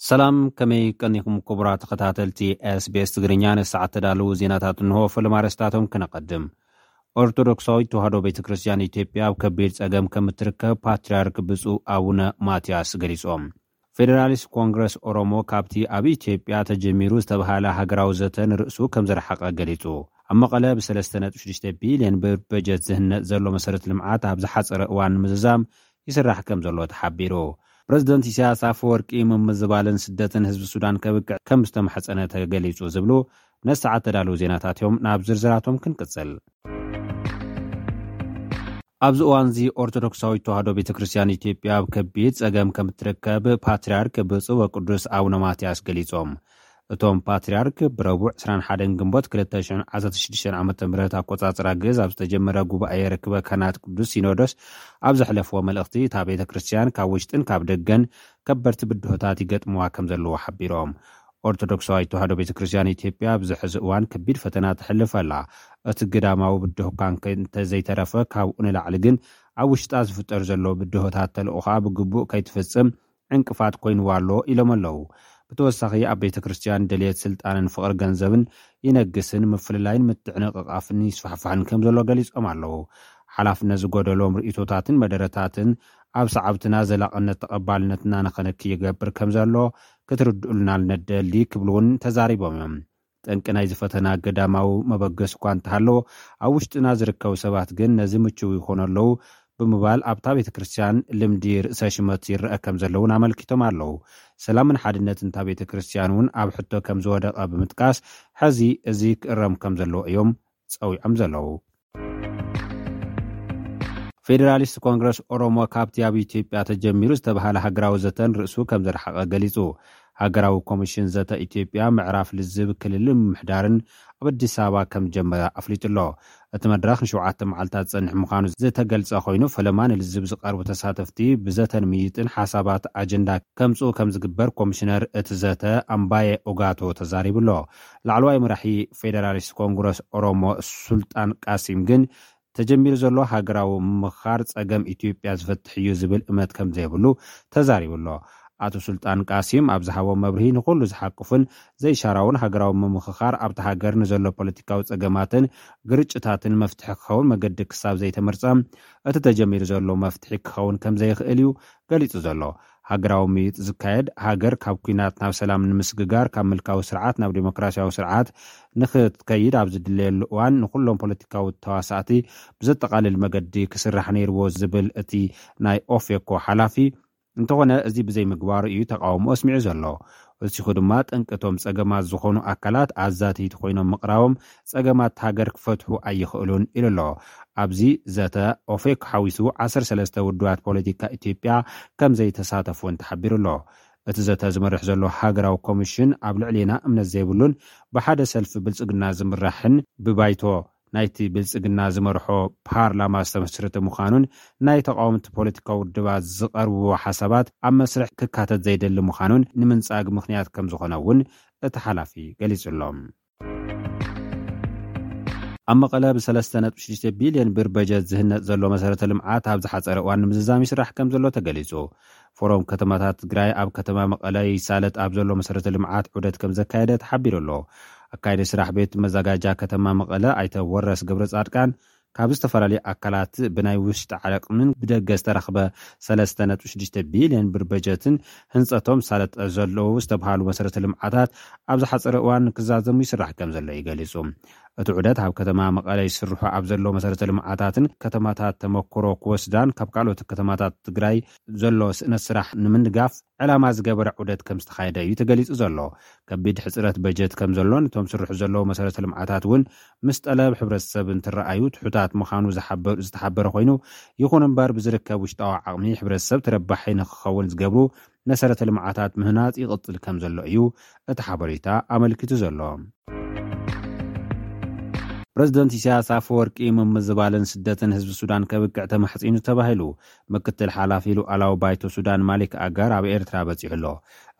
ሰላም፣ ከመይ ቀኒኹም ክቡራት ተኸታተልቲ ኤስቢኤስ ትግርኛ? ንሰዓት ተዳለዉ ዜናታት እንሆ። ፈለማ ኣርእስታቶም ክነቐድም። ኦርቶዶክሳዊት ተዋህዶ ቤተ ክርስቲያን ኢትዮጵያ ኣብ ከቢድ ጸገም ከም እትርከብ ፓትርያርክ ብፁዕ ኣቡነ ማትያስ ገሊጾም። ፌዴራሊስት ኮንግረስ ኦሮሞ ካብቲ ኣብ ኢትዮጵያ ተጀሚሩ ዝተባህለ ሃገራዊ ዘተ ንርእሱ ከም ዝረሓቐ ገሊጹ። ኣብ መቐለ ብ3.6 ቢልዮን ብር በጀት ዝህነጽ ዘሎ መሰረት ልምዓት ኣብ ዝሓጸረ እዋን ንምዝዛም ይስራሕ ከም ዘሎ ተሓቢሩ። ፕረዚደንት ኢሳያስ ኣፈወርቂ ምምዝባልን ስደትን ህዝቢ ሱዳን ከብቅዕ ከም ዝተማሕጸነ ተገሊጹ ዝብሉ ነሰዓት ተዳለዉ ዜናታት እዮም። ናብ ዝርዝራቶም ክንቅጽል። ኣብዚ እዋንዚ ኦርቶዶክሳዊት ተዋህዶ ቤተ ክርስቲያን ኢትዮጵያ ኣብ ከቢድ ጸገም ከም እትርከብ ፓትርያርክ ብፁዕ ወቅዱስ ኣቡነ ማትያስ ገሊጾም። እቶም ፓትርያርክ ብረቡዕ ዕስራን ሓደን ግንቦት ክልተ ሽሕን ዓሰርተ ሽዱሽተን ዓመተ ምህረት ኣቆጻጽራ ግእዝ ኣብ ዝተጀመረ ጉባኤ ርክበ ካህናት ቅዱስ ሲኖዶስ ኣብ ዘሕለፍዎ መልእኽቲ፣ እታ ቤተ ክርስቲያን ካብ ውሽጥን ካብ ደገን ከበድቲ ብድሆታት ይገጥምዋ ከም ዘለዉ ሓቢሮም። ኦርቶዶክሳዊት ተዋህዶ ቤተ ክርስቲያን ኢትዮጵያ ኣብዚ ሕዚ እዋን ከቢድ ፈተና ተሕልፍ ኣላ። እቲ ግዳማዊ ብድሆ እኳ እንተ ዘይተረፈ፣ ካብኡ ንላዕሊ ግን ኣብ ውሽጣ ዝፍጠር ዘሎ ብድሆታት ተልእኾኣ ብግቡእ ከይትፍጽም ዕንቅፋት ኮይንዋ ኣሎ ኢሎም ኣለዉ። ብተወሳኺ ኣብ ቤተ ክርስቲያን ድልየት ስልጣንን ፍቕሪ ገንዘብን ይነግስን ምፍልላይን ምትዕንቕቓፍን ይስፋሕፋሕን ከም ዘሎ ገሊጾም ኣለዉ። ሓላፍነት ዝጎደሎም ርእይቶታትን መደረታትን ኣብ ሰዓብትና ዘላቕነት ተቐባልነትና ንኸነኪ ይገብር ከም ዘሎ ክትርድኡልና ንደሊ ክብሉ እውን ተዛሪቦም እዮም። ጠንቂ ናይዚ ፈተና ገዳማዊ መበገሲ እኳ እንተሃለዎ፣ ኣብ ውሽጥና ዝርከቡ ሰባት ግን ነዚ ምችው ይኾኑ ኣለዉ ብምባል ኣብታ ቤተ ክርስቲያን ልምዲ ርእሰ ሽመት ይረአ ከም ዘሎ እውን ኣመልኪቶም ኣለዉ። ሰላምን ሓድነትን እታ ቤተ ክርስቲያን እውን ኣብ ሕቶ ከም ዝወደቐ ብምጥቃስ፣ ሕዚ እዚ ክእረም ከም ዘለዎ እዮም ጸዊዖም ዘለዉ። ፌዴራሊስት ኮንግረስ ኦሮሞ ካብቲ ኣብ ኢትዮጵያ ተጀሚሩ ዝተባህለ ሃገራዊ ዘተን ርእሱ ከም ዘርሓቐ ገሊጹ። ሃገራዊ ኮሚሽን ዘተ ኢትዮጵያ ምዕራፍ ልዝብ ክልል ምምሕዳርን ኣብ ኣዲስ ኣበባ ከም ጀመረ ኣፍሊጡ ኣሎ። እቲ መድረኽ ንሸውዓተ መዓልታት ዝጸንሕ ምዃኑ ዝተገልጸ ኮይኑ፣ ፈለማ ንልዝብ ዝቐርቡ ተሳተፍቲ ብዘተን ምይጥን ሓሳባት ኣጀንዳ ከምጽኡ ከም ዝግበር ኮሚሽነር እቲ ዘተ ኣምባየ ኦጋቶ ተዛሪቡ ኣሎ። ላዕለዋይ መራሒ ፌዴራሊስት ኮንግረስ ኦሮሞ ሱልጣን ቃሲም ግን ተጀሚሩ ዘሎ ሃገራዊ ምምኽኻር ጸገም ኢትዮጵያ ዝፈትሕ እዩ ዝብል እምነት ከም ዘይብሉ ተዛሪቡ ኣሎ። ኣቶ ሱልጣን ቃሲም ኣብ ዝሃቦ መብርሂ፣ ንኹሉ ዝሓቁፍን ዘይሻራውን ሃገራዊ ምምኽኻር ኣብቲ ሃገር ንዘሎ ፖለቲካዊ ጸገማትን ግርጭታትን መፍትሒ ክኸውን መገዲ ክሳብ ዘይተመርጸ፣ እቲ ተጀሚሩ ዘሎ መፍትሒ ክኸውን ከም ዘይኽእል እዩ ገሊጹ ዘሎ። ሃገራዊ ምይጥ ዝካየድ፣ ሃገር ካብ ኲናት ናብ ሰላም ንምስግጋር፣ ካብ ምልካዊ ስርዓት ናብ ዴሞክራሲያዊ ስርዓት ንኽትከይድ ኣብ ዝድለየሉ እዋን፣ ንኹሎም ፖለቲካዊ ተዋሳእቲ ብዘጠቓልል መገዲ ክስራሕ ነይርዎ ዝብል እቲ ናይ ኦፌኮ ሓላፊ፣ እንተኾነ እዚ ብዘይምግባሩ እዩ ተቃውሞ ኣስሚዑ ዘሎ። ወሲኹ ድማ፣ ጠንቂ እቶም ጸገማት ዝኾኑ ኣካላት ኣዛተይቲ ኮይኖም ምቕራቦም ጸገማት ሃገር ክፈትሑ ኣይኽእሉን ኢሉ ኣሎ። ኣብዚ ዘተ ኦፌክ ሓዊሱ ዓሰርተ ሰለስተ ውድባት ፖለቲካ ኢትዮጵያ ከም ዘይተሳተፉ እውን ተሓቢሩ ኣሎ። እቲ ዘተ ዝመርሕ ዘሎ ሃገራዊ ኮሚሽን ኣብ ልዕሌና እምነት ዘይብሉን ብሓደ ሰልፊ ብልጽግና ዝምራሕን ብባይቶ ናይቲ ብልጽግና ዝመርሖ ፓርላማ ዝተመስረተ ምዃኑን ናይ ተቃወምቲ ፖለቲካዊ ውድባት ዝቐርብዎ ሓሳባት ኣብ መስርሕ ክካተት ዘይደሊ ምዃኑን ንምንጻግ ምኽንያት ከም ዝኾነ እውን እቲ ሓላፊ ገሊጹ ኣሎ። ኣብ መቐለ ብ3.6 ቢልዮን ብር በጀት ዝህነጽ ዘሎ መሰረተ ልምዓት ኣብ ዝሓጸረ እዋን ንምዝዛም ይስራሕ ከም ዘሎ ተገሊጹ። ፎረም ከተማታት ትግራይ ኣብ ከተማ መቐለ ይሳለጥ ኣብ ዘሎ መሰረተ ልምዓት ዑደት ከም ዘካየደ ተሓቢሩ ኣሎ። ኣካይደ ስራሕ ቤት መዘጋጃ ከተማ መቐለ ኣይተ ወረስ ገብረ ጻድቃን፣ ካብ ዝተፈላለዩ ኣካላት ብናይ ውሽጢ ዓቕምን ብደገ ዝተረኽበ ሰለስተ ነጥቢ ሽዱሽተ ቢልዮን ብር በጀትን ህንጸቶም ሳለጠ ዘለዉ ዝተባሃሉ መሰረተ ልምዓታት ኣብ ዝሓጸረ እዋን ክዛዘሙ ይስራሕ ከም ዘሎ እዩ ገሊጹ። እቲ ዑደት ኣብ ከተማ መቐለ ይስርሑ ኣብ ዘለዉ መሰረተ ልምዓታትን ከተማታት ተመክሮ ክወስዳን ካብ ካልኦት ከተማታት ትግራይ ዘሎ ስእነት ስራሕ ንምንጋፍ ዕላማ ዝገበረ ዑደት ከም ዝተኻየደ እዩ ተገሊጹ ዘሎ። ከቢድ ሕጽረት በጀት ከም ዘሎ፣ ነቶም ስርሑ ዘለዉ መሰረተ ልምዓታት እውን ምስ ጠለብ ሕብረተሰብ እንትረኣዩ ትሑታት ምዃኑ ዝሓበ-፣ ዝተሓበረ ኮይኑ፣ ይኹን እምበር ብዝርከብ ውሽጣዊ ዓቕሚ ሕብረተሰብ ተረባሒ ንክኸውን ዝገብሩ መሰረተ ልምዓታት ምህናጽ ይቕጽል ከም ዘሎ እዩ እቲ ሓበሬታ ኣመልኪቱ ዘሎ። ፕረዚደንት ኢሳያስ ኣፈወርቂ ምምዝባልን ስደትን ህዝቢ ሱዳን ከብቅዕ ተማሕጺኑ ተባሂሉ። ምክትል ሓላፊ ሉዓላዊ ባይቶ ሱዳን ማሊክ ኣጋር ኣብ ኤርትራ በጺሑ ኣሎ።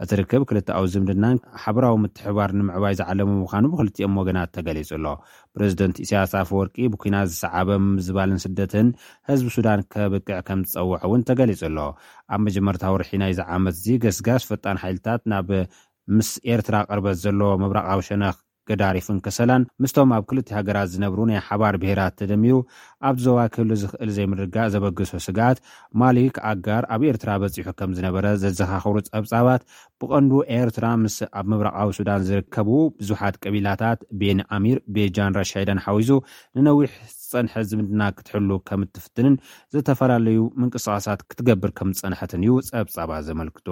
እቲ ርክብ ክልተኣዊ ዝምድናን ሓበራዊ ምትሕባር ንምዕባይ ዝዓለመ ምዃኑ ብክልቲኦም ወገናት ተገሊጹ ኣሎ። ፕረዚደንት ኢሳያስ ኣፈወርቂ ብኲናት ዝሰዓበ ምምዝባልን ስደትን ህዝቢ ሱዳን ከብቅዕ ከም ዝጸውዕ እውን ተገሊጹ ኣሎ። ኣብ መጀመርታ ወርሒ ናይዚ ዓመት እዚ ገስጋስ ፈጣን ሓይልታት ናብ ምስ ኤርትራ ቅርበት ዘለዎ ምብራቓዊ ሸነኽ ገዳሪፍን ከሰላን ምስቶም ኣብ ክልተ ሃገራት ዝነብሩ ናይ ሓባር ብሄራት ተደሚሩ ኣብ ዞባ ክህሉ ዝኽእል ዘይምርጋእ ዘበግሶ ስግኣት ማሊክ ኣጋር ኣብ ኤርትራ በጺሑ ከም ዝነበረ ዘዘኻኽሩ ጸብጻባት ብቐንዱ ኤርትራ ምስ ኣብ ምብራቓዊ ሱዳን ዝርከቡ ብዙሓት ቀቢላታት ቤን ኣሚር ቤጃን ራሻይዳን ሓዊሱ ንነዊሕ ዝጸንሐ ዝምድና ክትሕሉ ከም እትፍትንን ዝተፈላለዩ ምንቅስቃሳት ክትገብር ከም ዝጸንሐትን እዩ ጸብጻባት ዘመልክቱ።